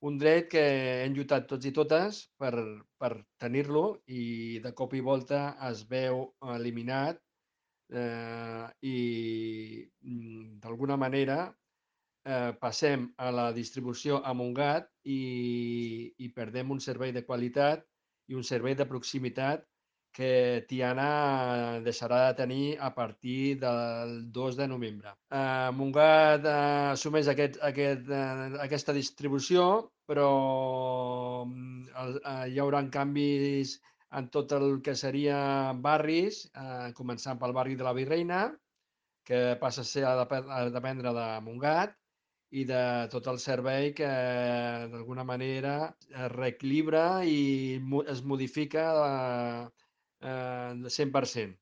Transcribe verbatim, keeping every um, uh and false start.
un dret que hem lluitat tots i totes per, per tenir-lo i de cop i volta es veu eliminat eh, i mm, d'alguna manera eh, passem a la distribució a Montgat i, i perdem un servei de qualitat i un servei de proximitat que Tiana deixarà de tenir a partir del dos de novembre. Eh, Montgat eh, assumeix aquest, aquest, eh, aquesta distribució, però mm, el, eh, hi haurà canvis en tot el que seria barris, eh, començant pel barri de la Virreina, que passa a ser a, dep a dependre de Montgat, i de tot el servei que d'alguna manera es reequilibra i mo es modifica eh, eh, cent per cent.